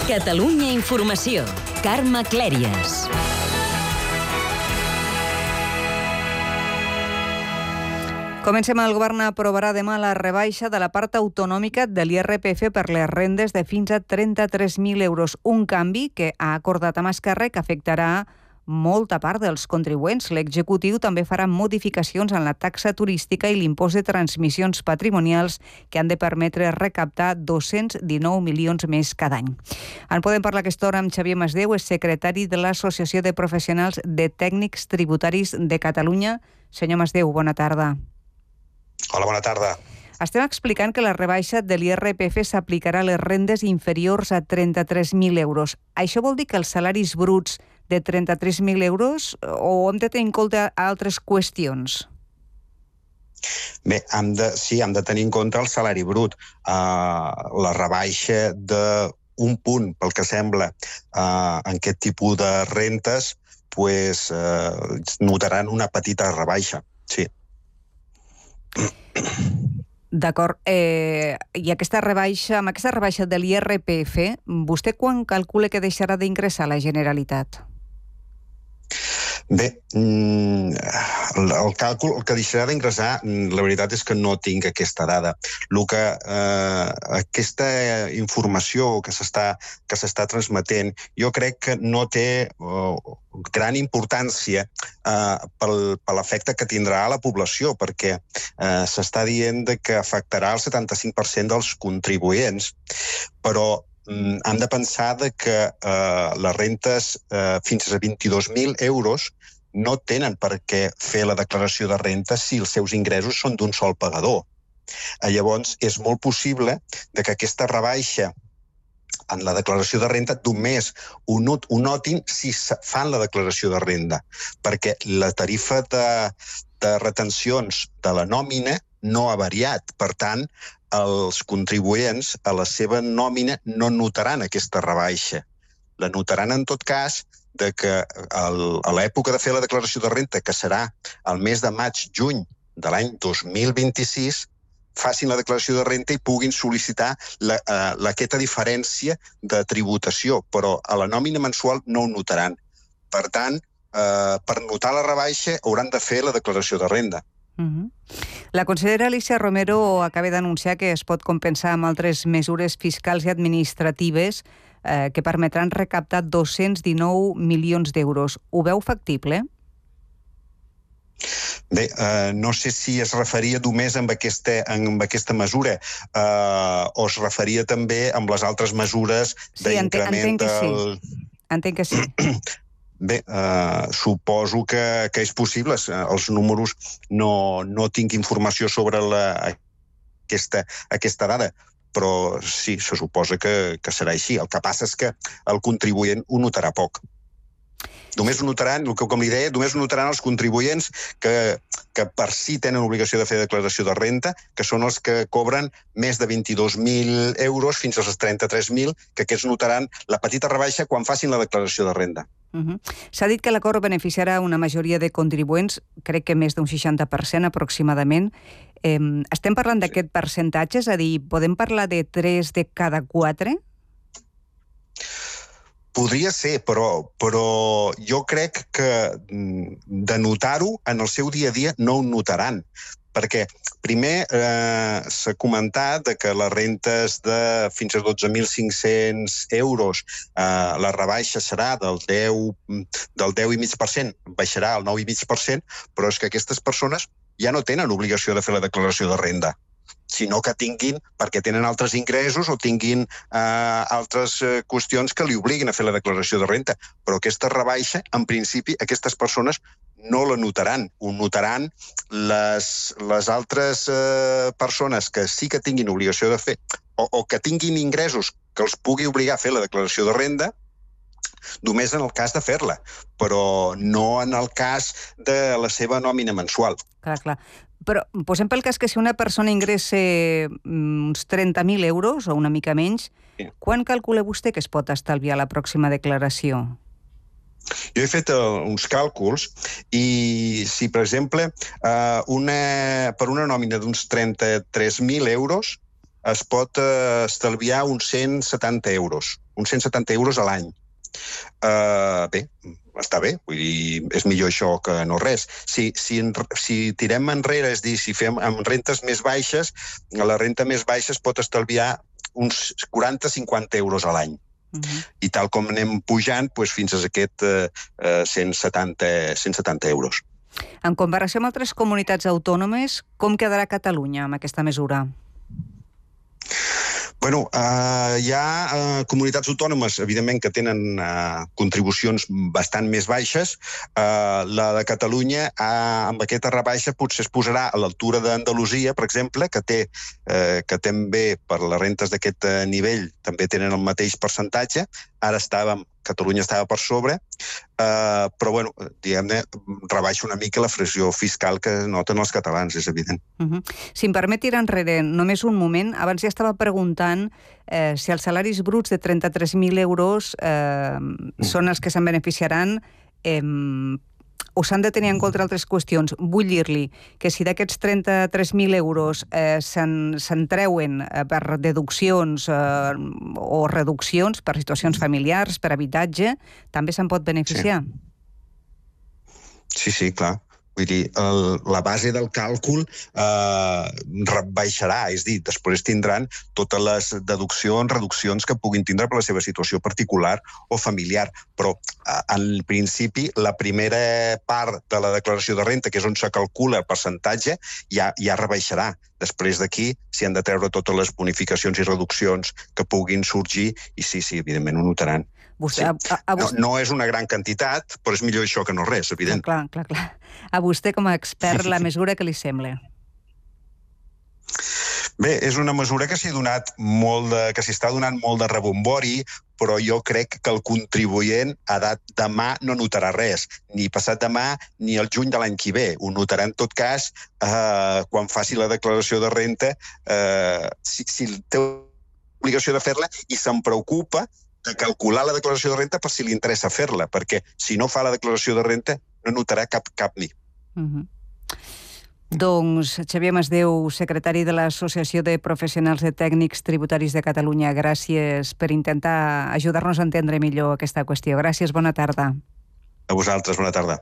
Catalunya Informació. Carme Clèries. Comencem. El govern aprovarà demà la rebaixa de la part autonòmica de l'IRPF per les rendes de fins a 33.000 euros. Un canvi que ha acordat amb Esquerra que afectarà molta part dels contribuents. L'executiu també farà modificacions en la taxa turística i l'impost de transmissions patrimonials que han de permetre recaptar 219 milions més cada any. En podem parlar aquesta hora amb Xavier Masdeu, és secretari de l'Associació de Professionals de Tècnics Tributaris de Catalunya. Senyor Masdeu, bona tarda. Hola, bona tarda. Estem explicant que la rebaixa de l'IRPF s'aplicarà a les rendes inferiors a 33.000 euros. Això vol dir que els salaris bruts de 33.000 euros o hem de tenir en compte altres qüestions? Bé, hem de tenir en compte el salari brut. La rebaixa d'un punt, pel que sembla, en aquest tipus de rentes, notaran una petita rebaixa, sí. D'acord. I amb aquesta rebaixa de l'IRPF, vostè quan calcula que deixarà d'ingressar la Generalitat? Bé, el càlcul, el que deixarà d'ingressar, la veritat és que no tinc aquesta dada. Aquesta informació que s'està transmetent, jo crec que no té gran importància per l'efecte que tindrà a la població, perquè s'està dient que afectarà el 75% dels contribuents, però hem de pensar que les rentes fins a 22.000 euros no tenen per què fer la declaració de renta si els seus ingressos són d'un sol pagador. Llavors, és molt possible que aquesta rebaixa en la declaració de renta només ho notin si fan la declaració de renda, perquè la tarifa de retencions de la nòmina no ha variat. Per tant, els contribuents a la seva nòmina no notaran aquesta rebaixa. La notaran en tot cas que a l'època de fer la declaració de renta, que serà el mes de maig-juny de l'any 2026, facin la declaració de renta i puguin sol·licitar aquesta diferència de tributació, però a la nòmina mensual no ho notaran. Per tant, per notar la rebaixa hauran de fer la declaració de renda. La consellera Alícia Romero acaba d'anunciar que es pot compensar amb altres mesures fiscals i administratives que permetran recaptar 219 milions d'euros. Ho veu factible? Bé, no sé si es referia només amb aquesta mesura o es referia també amb les altres mesures d'increment del... Entenc que sí. Bé, suposo que és possible. Els números no tinc informació sobre aquesta dada, però sí, se suposa que serà així. El que passa és que el contribuent ho notarà poc. Només ho notaran, com li deia, només ho notaran els contribuents que per si tenen obligació de fer declaració de renta, que són els que cobren més de 22.000 euros fins als 33.000, que aquests notaran la petita rebaixa quan facin la declaració de renda. S'ha dit que l'acord beneficiarà una majoria de contribuents, crec que més d'un 60% aproximadament. Estem parlant d'aquest percentatge? És a dir, podem parlar de 3 de cada 4? Podria ser, però jo crec que de notar-ho en el seu dia a dia no ho notaran, perquè primer s'ha comentat que les rentes de fins a 12.500 euros la rebaixa serà del 10,5%, baixarà al 9,5%, però és que aquestes persones ja no tenen obligació de fer la declaració de renda, sinó que tinguin, perquè tenen altres ingressos o tinguin altres qüestions que li obliguin a fer la declaració de renta. Però aquesta rebaixa, en principi, aquestes persones no la notaran. Ho notaran les altres persones que sí que tinguin obligació de fer o que tinguin ingressos que els pugui obligar a fer la declaració de renda, només en el cas de fer-la, però no en el cas de la seva nòmina mensual. Clar. Però posem pel cas que si una persona ingressa uns 30.000 euros o una mica menys, quan calcula vostè que es pot estalviar la pròxima declaració? Jo he fet uns càlculs i si, per exemple, per una nòmina d'uns 33.000 euros, es pot estalviar uns 170 euros. Uns 170 euros a l'any. Bé, està bé, vull dir, és millor això que no res. Si tirem enrere, és a dir, si fem amb rentes més baixes, la renta més baixa es pot estalviar uns 40-50 euros a l'any. I tal com anem pujant, fins a aquest 170 euros. En comparació amb altres comunitats autònomes, com quedarà Catalunya amb aquesta mesura? Bueno, hi ha comunitats autònomes, evidentment, que tenen contribucions bastant més baixes. La de Catalunya, amb aquesta rebaixa, potser es posarà a l'altura d'Andalusia, per exemple, que també, per les rentes d'aquest nivell, també tenen el mateix percentatge. Ara Catalunya estava per sobre, però, bueno, diguem-ne, rebaixa una mica la pressió fiscal que noten els catalans, és evident. Si em permet tirar enrere només un moment, abans ja estava preguntant si els salaris bruts de 33.000 euros són els que se'n beneficiaran o s'han de tenir en compte altres qüestions. Vull dir-li que si d'aquests 33.000 euros se'n treuen per deduccions o reduccions per situacions familiars, per habitatge, també se'n pot beneficiar? Sí, clar. Vull dir, la base del càlcul rebaixarà, és a dir, després tindran totes les deduccions, reduccions que puguin tindre per la seva situació particular o familiar. Però, en principi, la primera part de la declaració de renta, que és on se calcula el percentatge, ja rebaixarà. Després d'aquí s'hi han de treure totes les bonificacions i reduccions que puguin sorgir i sí, evidentment ho notaran. No és una gran quantitat, però és millor això que no res, evident. Clar. A vostè, com a expert, la mesura que li sembla? Bé, és una mesura que s'hi està donant molt de rebombori, però jo crec que el contribuent demà no notarà res, ni passat demà ni el juny de l'any que ve. Ho notarà en tot cas quan faci la declaració de renta, si té l'obligació de fer-la i se'n preocupa de calcular la declaració de renta per si li interessa fer-la, perquè si no fa la declaració de renta no notarà cap ni. Doncs Xavier Masdeu, secretari de l'Associació de Professionals de Tècnics Tributaris de Catalunya, gràcies per intentar ajudar-nos a entendre millor aquesta qüestió. Gràcies, bona tarda. A vosaltres, bona tarda.